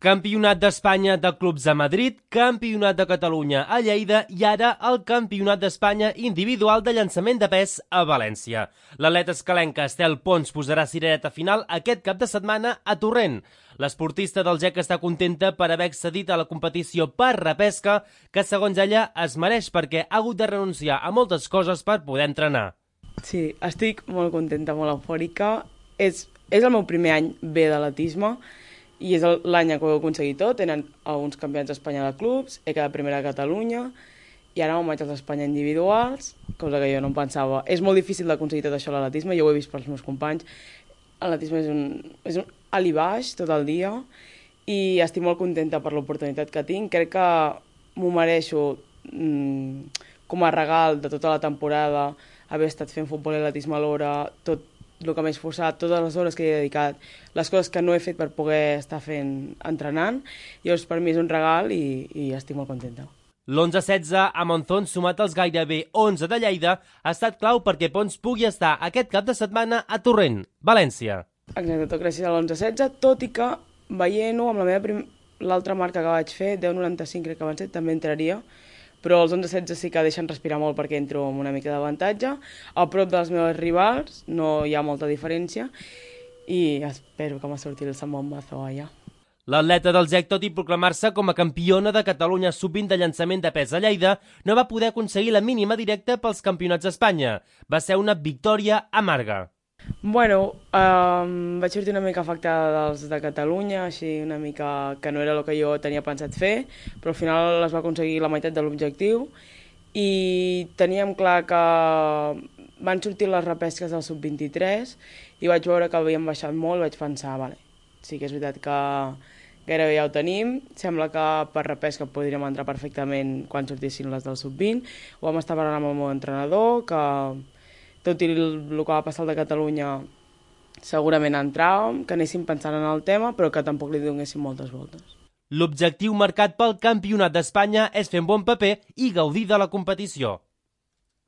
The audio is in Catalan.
Campionat d'Espanya de clubs a Madrid, Campionat de Catalunya a Lleida i ara el Campionat d'Espanya individual de llançament de pes a València. L'atleta escalenca Estel Pons posarà cirereta final aquest cap de setmana a Torrent. L'esportista del GEC està contenta per haver accedit a la competició per repesca, que segons ella es mereix perquè ha hagut de renunciar a moltes coses per poder entrenar. Sí, estic molt contenta, molt eufòrica. És el meu primer any bé d'atletisme i és l'any que ho he aconseguit tot. Tenen alguns campionats d'Espanya de clubs, he quedat primera a Catalunya i ara me'n vaig als d'Espanya individuals, cosa que jo no em pensava. És molt difícil d'aconseguir tot això a l'atletisme, jo ho he vist pels meus companys. L'atletisme és un alt i baix tot el dia i estic molt contenta per l'oportunitat que tinc. Crec que m'ho mereixo com a regal de tota la temporada, haver estat fent futbol i atletisme alhora, tot el que m'he esforçat, totes les hores que he dedicat, les coses que no he fet per poder estar entrenant. Llavors, per mi és un regal i estic molt contenta. L'11-16 a Monzón, sumat als gairebé 11 de Lleida, ha estat clau perquè Pons pugui estar aquest cap de setmana a Torrent, València. Exacte, tot gràcies a l'11-16, tot i que veient-ho amb l'altra marca que vaig fer, 10-95 crec que van ser, també entraria, però els 11-16 sí que deixen respirar molt perquè entro amb una mica d'avantatge. A prop dels meus rivals no hi ha molta diferència i espero que m'ha sortit el Sant Bombazo allà. L'atleta del GEC, tot i proclamar-se com a campiona de Catalunya sub-20 de llançament de pes a Lleida, no va poder aconseguir la mínima directa pels campionats d'Espanya. Va ser una victòria amarga. Bueno, vaig sortir una mica afectada dels de Catalunya, així una mica que no era el que jo tenia pensat fer, però al final es va aconseguir la meitat de l'objectiu i teníem clar que van sortir les repesques del sub-23 i vaig veure que havien baixat molt i vaig pensar, vale, sí que és veritat que gairebé ja ho tenim, sembla que per repesca podríem entrar perfectament quan sortissin les del sub-20, ho vam estar parlant amb el meu entrenador, que tot i el que va passar al de Catalunya segurament entràvem, que anéssim pensant en el tema, però que tampoc li donéssim moltes voltes. L'objectiu marcat pel Campionat d'Espanya és fer un bon paper i gaudir de la competició.